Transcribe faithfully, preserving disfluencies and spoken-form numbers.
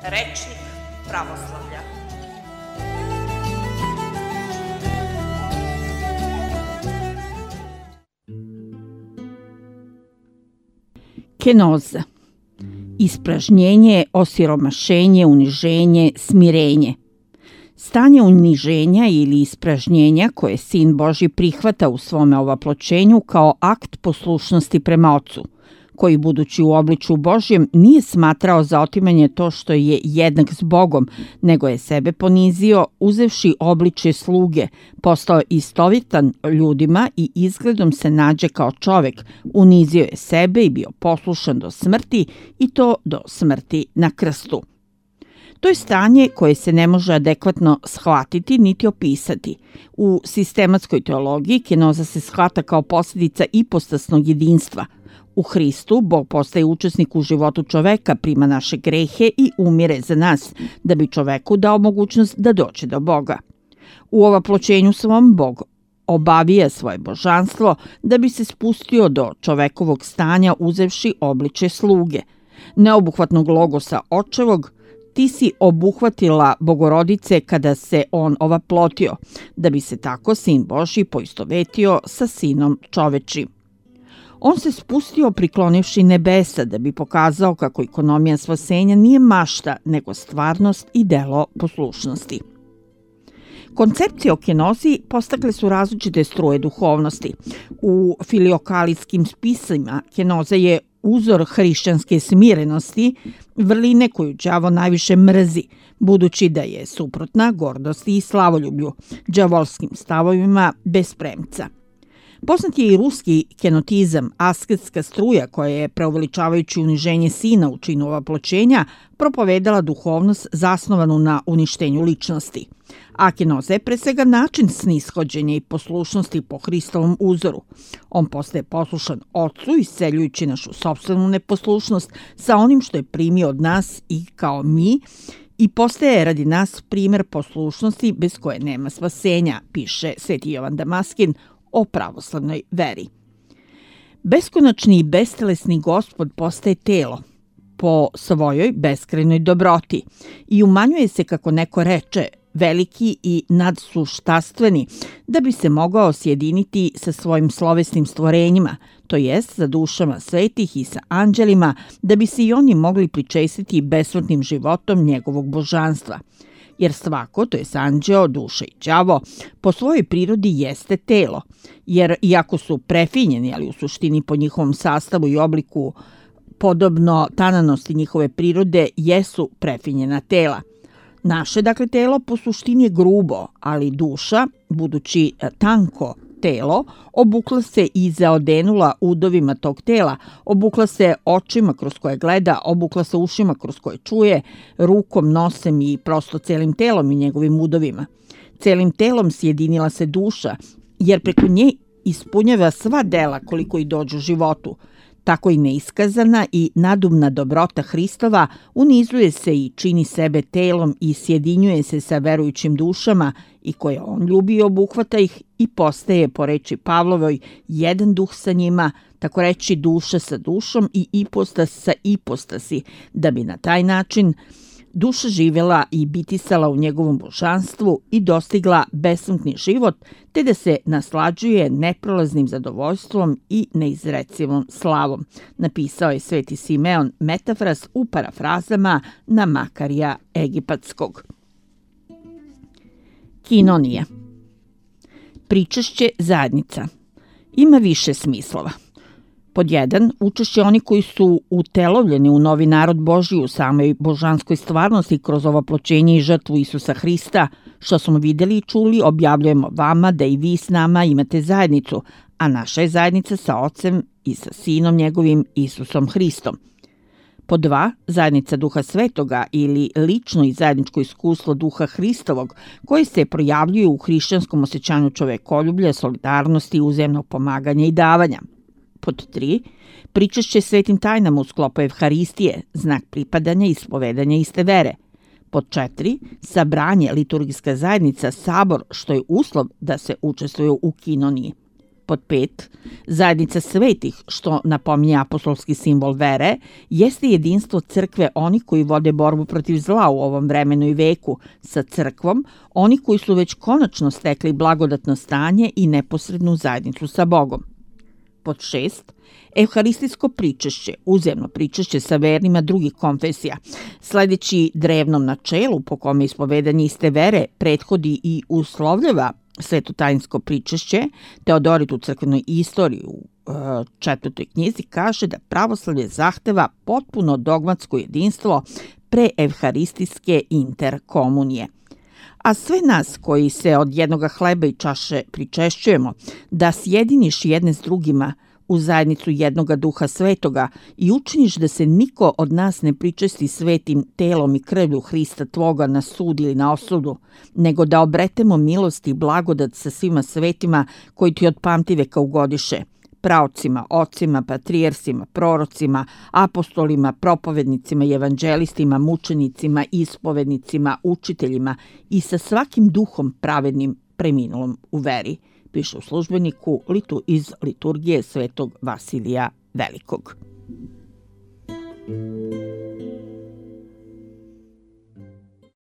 Rečnik pravoslavlja. Kenoza. Ispražnjenje, osiromašenje, uniženje, smirenje. Stanje uniženja ili ispražnjenja koje Sin Božji prihvata u svome ovaploćenju kao akt poslušnosti prema Ocu, koji budući u obličju Božjem nije smatrao za otimanje to što je jednak s Bogom, nego je sebe ponizio uzevši obličje sluge, postao istovitan ljudima i izgledom se nađe kao čovek, unizio je sebe i bio poslušan do smrti i to do smrti na krstu. To je stanje koje se ne može adekvatno shvatiti niti opisati. U sistematskoj teologiji kenoza se shvata kao posljedica ipostasnog jedinstva. U Hristu Bog postaje učesnik u životu čoveka, prima naše grehe i umire za nas, da bi čoveku dao mogućnost da dođe do Boga. U ovaploćenju svom Bog obavija svoje božanstvo da bi se spustio do čovekovog stanja uzevši obliče sluge. Neobuhvatnog logosa očevog, ti si obuhvatila Bogorodice kada se on ovaplotio, da bi se tako Sin Božji poistovetio sa Sinom čovečim. On se spustio priklonivši nebesa da bi pokazao kako ekonomija spasenja nije mašta, nego stvarnost i delo poslušnosti. Koncepcije o kenozi postakle su različite struje duhovnosti. U filiokalijskim spisima kenoza je uzor hrišćanske smirenosti, vrline koju đavo najviše mrzi, budući da je suprotna gordosti i slavoljublju, đavolskim stavovima bez premca. Poznat je i ruski kenotizam, asketska struja koja je, preuveličavajući uniženje Sina u činu ovaploćenja, propovedala duhovnost zasnovanu na uništenju ličnosti. A kenoza je pre svega način snishođenja i poslušnosti po Hristovom uzoru. On postaje poslušan Ocu, isceljujući našu sopstvenu neposlušnost sa onim što je primio od nas i kao mi, i postaje radi nas primer poslušnosti bez koje nema spasenja, piše Sveti Jovan Damaskin o pravoslavnoj veri. Beskonačni i bestelesni Gospod postaje telo po svojoj beskrajnoj dobroti i umanjuje se, kako neko reče, veliki i nadsuštastveni, da bi se mogao sjediniti sa svojim slovesnim stvorenjima, to jest sa dušama svetih i sa anđelima, da bi se i oni mogli pričestiti besmrtnim životom njegovog božanstva. Jer svako, to je anđeo, duša i đavo, po svojoj prirodi jeste telo, jer iako su prefinjeni, ali u suštini po njihovom sastavu i obliku podobno tananosti njihove prirode, jesu prefinjena tela. Naše, dakle, telo po suštini je grubo, ali duša, budući tanko telo, obukla se i zaodenula udovima tog tela, obukla se očima kroz koje gleda, obukla se ušima kroz koje čuje, rukom, nosem i prosto celim telom i njegovim udovima. Celim telom sjedinila se duša, jer preko nje ispunjava sva dela koliko i dođu životu. Tako i neiskazana i nadumna dobrota Hristova unizuje se i čini sebe telom i sjedinjuje se sa verujućim dušama i koje on ljubi i obuhvata ih i postaje, po reči Pavlovoj, jedan duh sa njima, tako reći duša sa dušom i ipostas sa ipostasi, da bi na taj način duša živjela i bitisala u njegovom božanstvu i dostigla besmrtni život, te da se naslađuje neprolaznim zadovoljstvom i neizrecivom slavom, napisao je Sveti Simeon Metafras u parafrazama na Makarija Egipatskog. Kinonija. Pričešće zajednica. Ima više smislova. Pod jedan, učešće oni koji su utelovljeni u novi narod Božji u samoj božanskoj stvarnosti kroz ovaploćenje i žrtvu Isusa Hrista, što smo vidjeli i čuli, objavljujemo vama da i vi s nama imate zajednicu, a naša je zajednica sa Ocem i sa Sinom njegovim Isusom Hristom. Pod dva, zajednica Duha Svetoga ili lično i zajedničko iskustvo Duha Hristovog koje se projavljuje u hrišćanskom osjećanju čovekoljublja, solidarnosti, uzajamnog pomaganja i davanja. Pod tri, pričešće svetim tajnama u sklopu Evharistije, znak pripadanja i ispovedanja iste vere. Pod četiri, sabranje, liturgijska zajednica, sabor, što je uslov da se učestvuje u kinoniji. Pod pet, zajednica svetih, što napominje apostolski simbol vere, jeste jedinstvo crkve onih koji vode borbu protiv zla u ovom vremenu i veku sa crkvom, oni koji su već konačno stekli blagodatno stanje i neposrednu zajednicu sa Bogom. Pod šest, evharistijsko pričešće, uzemno pričešće sa vernima drugih konfesija, sledeći drevnom načelu po kome ispovedanje iste vere prethodi i uslovljava svetotajinsko pričešće, Teodorit u crkvenoj istoriji u e, četvrtoj knjizi kaže da pravoslavlje zahteva potpuno dogmatsko jedinstvo pre evharistijske interkomunije. A sve nas koji se od jednoga hleba i čaše pričešćujemo, da sjediniš jedne s drugima u zajednicu jednoga duha svetoga i učiniš da se niko od nas ne pričesti svetim telom i krvlju Hrista tvoga na sud ili na osudu, nego da obretemo milost i blagodat sa svima svetima koji ti od pamtiveka ugodiše, praocima, ocima, patrijersima, prorocima, apostolima, propovednicima i evanđelistima, mučenicima, ispovednicima, učiteljima i sa svakim duhom pravednim preminulom u veri, piše u Službeniku litu iz liturgije svetog Vasilija Velikog.